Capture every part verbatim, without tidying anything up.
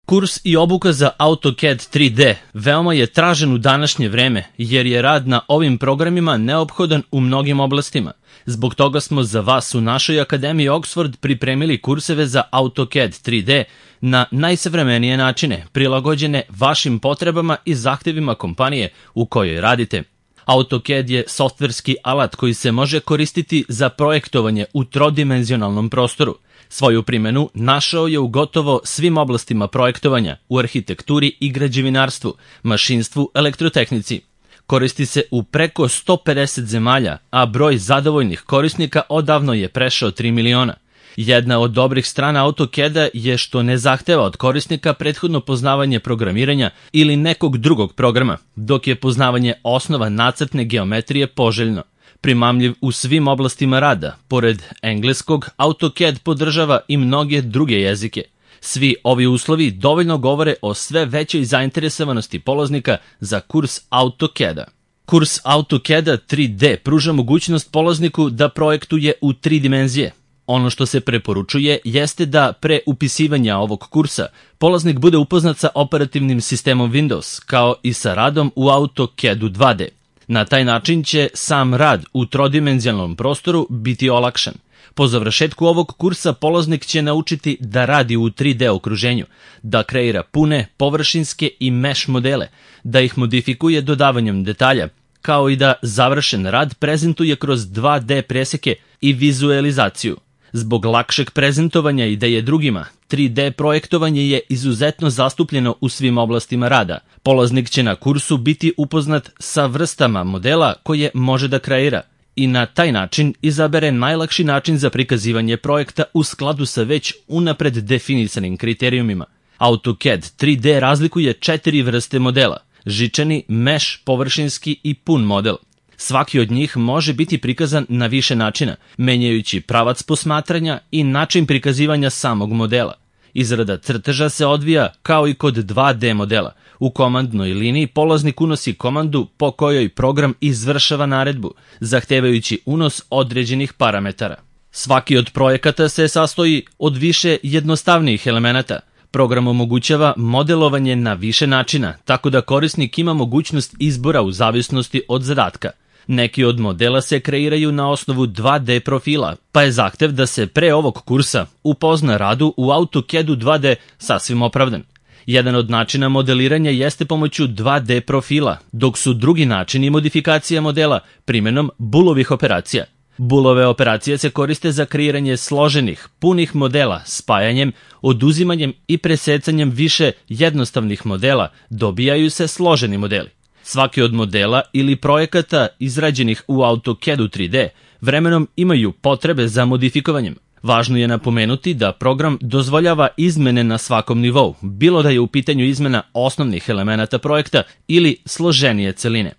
Kurs i obuka za AutoCAD tri D veoma je tražen u današnje vreme, jer je rad na ovim programima neophodan u mnogim oblastima. Zbog toga smo za vas u našoj Akademiji Oxford pripremili kurseve za AutoCAD tri D na najsavremenije načine, prilagođene vašim potrebama i zahtevima kompanije u kojoj radite. AutoCAD je softverski alat koji se može koristiti za projektovanje u trodimenzionalnom prostoru. Svoju primjenu našao je u gotovo svim oblastima projektovanja, u arhitekturi i građevinarstvu, mašinstvu, elektrotehnici. Koristi se u preko sto pedeset zemalja, a broj zadovoljnih korisnika odavno je prešao tri miliona. Jedna od dobrih strana AutoCAD-a je što ne zahteva od korisnika prethodno poznavanje programiranja ili nekog drugog programa, dok je poznavanje osnova nacrtne geometrije poželjno. Primamljiv u svim oblastima rada, pored engleskog, AutoCAD podržava i mnoge druge jezike. Svi ovi uslovi dovoljno govore o sve većoj zainteresovanosti polaznika za kurs AutoCAD-a. Kurs AutoCAD-a tri D pruža mogućnost polazniku da projektuje u tri dimenzije. Ono što se preporučuje jeste da pre upisivanja ovog kursa polaznik bude upoznat sa operativnim sistemom Windows, kao i sa radom u AutoCAD-u dva D. Na taj način će sam rad u trodimenzionalnom prostoru biti olakšan. Po završetku ovog kursa polaznik će naučiti da radi u tri D okruženju, da kreira pune, površinske i mesh modele, da ih modifikuje dodavanjem detalja, kao i da završen rad prezentuje kroz dva D preseke i vizualizaciju. Zbog lakšeg prezentovanja ideje drugima, tri D projektovanje je izuzetno zastupljeno u svim oblastima rada. Polaznik će na kursu biti upoznat sa vrstama modela koje može da kreira i na taj način izabere najlakši način za prikazivanje projekta u skladu sa već unapred definisanim kriterijumima. AutoCAD tri D razlikuje četiri vrste modela: žičani, mesh, površinski i pun model. Svaki od njih može biti prikazan na više načina, menjajući pravac posmatranja i način prikazivanja samog modela. Izrada crteža se odvija kao i kod dva D modela. U komandnoj liniji polaznik unosi komandu po kojoj program izvršava naredbu, zahtevajući unos određenih parametara. Svaki od projekata se sastoji od više jednostavnijih elemenata. Program omogućava modelovanje na više načina, tako da korisnik ima mogućnost izbora u zavisnosti od zadatka. Neki od modela se kreiraju na osnovu dva D profila, pa je zahtev da se pre ovog kursa upozna radu u AutoCAD-u dva D sasvim opravdan. Jedan od načina modeliranja jeste pomoću dva D profila, dok su drugi načini modifikacija modela primjenom Boolovih operacija. Boolove operacije se koriste za kreiranje složenih, punih modela spajanjem, oduzimanjem i presecanjem više jednostavnih modela, dobijaju se složeni modeli. Svaki od modela ili projekata izrađenih u AutoCAD-u tri D vremenom imaju potrebe za modifikovanjem. Važno je napomenuti da program dozvoljava izmene na svakom nivou, bilo da je u pitanju izmena osnovnih elemenata projekta ili složenije celine.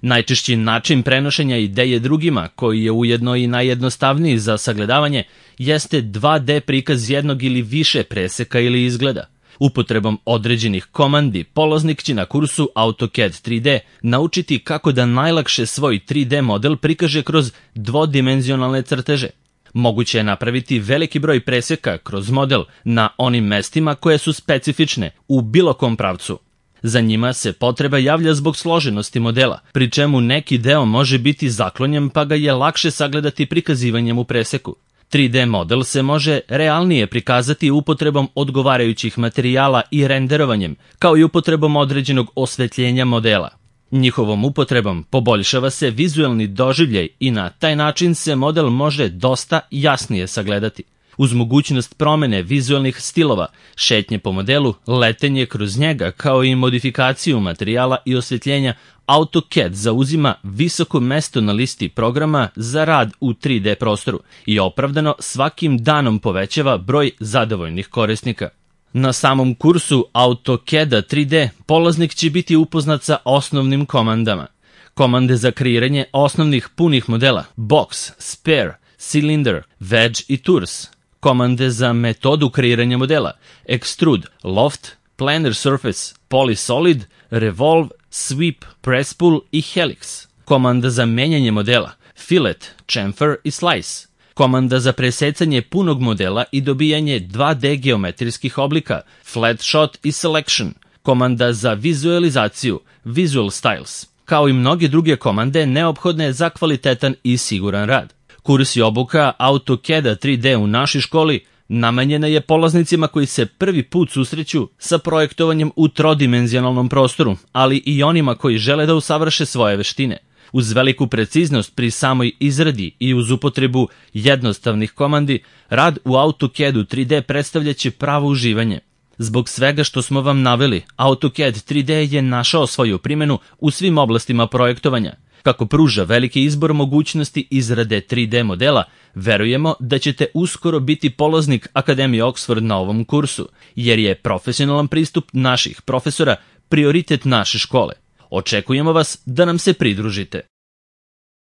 Najčešći način prenošenja ideje drugima, koji je ujedno i najjednostavniji za sagledavanje, jeste dva D prikaz jednog ili više preseka ili izgleda. Upotrebom određenih komandi, polaznik će na kursu AutoCAD tri D naučiti kako da najlakše svoj tri D model prikaže kroz dvodimenzionalne crteže. Moguće je napraviti veliki broj preseka kroz model na onim mestima koje su specifične u bilo kom pravcu. Za njima se potreba javlja zbog složenosti modela, pri čemu neki deo može biti zaklonjen pa ga je lakše sagledati prikazivanjem u preseku. tri D model se može realnije prikazati upotrebom odgovarajućih materijala i renderovanjem, kao i upotrebom određenog osvetljenja modela. Njihovom upotrebom poboljšava se vizuelni doživljaj i na taj način se model može dosta jasnije sagledati. Uz mogućnost promene vizuelnih stilova, šetnje po modelu, letenje kroz njega, kao i modifikaciju materijala i osvetljenja, AutoCAD zauzima visoko mesto na listi programa za rad u tri D prostoru i opravdano svakim danom povećava broj zadovoljnih korisnika. Na samom kursu AutoCAD-a tri D polaznik će biti upoznat sa osnovnim komandama. Komande za kreiranje osnovnih punih modela: box, sphere, cylinder, wedge i tours. Komande za metodu kreiranja modela: extrude, loft, planar surface, polysolid, revolve, sweep, press pull i helix. Komanda za menjanje modela: fillet, chamfer i slice. komanda za presecanje punog modela i dobijanje dva de geometrijskih oblika, Flat Shot i Selection, komanda za vizualizaciju, Visual Styles, kao i mnoge druge komande neophodne za kvalitetan i siguran rad. Kurs i obuka AutoCAD-a tri de u našoj školi namenjena je polaznicima koji se prvi put susreću sa projektovanjem u trodimenzionalnom prostoru, ali i onima koji žele da usavrše svoje veštine. Uz veliku preciznost pri samoj izradi i uz upotrebu jednostavnih komandi, rad u AutoCAD-u tri de predstavljaće pravo uživanje. Zbog svega što smo vam naveli, AutoCAD tri de je našao svoju primjenu u svim oblastima projektovanja. Kako pruža veliki izbor mogućnosti izrade tri de modela, verujemo da ćete uskoro biti polaznik Akademije Oxford na ovom kursu, jer je profesionalan pristup naših profesora prioritet naše škole. Očekujemo vas da nam se pridružite.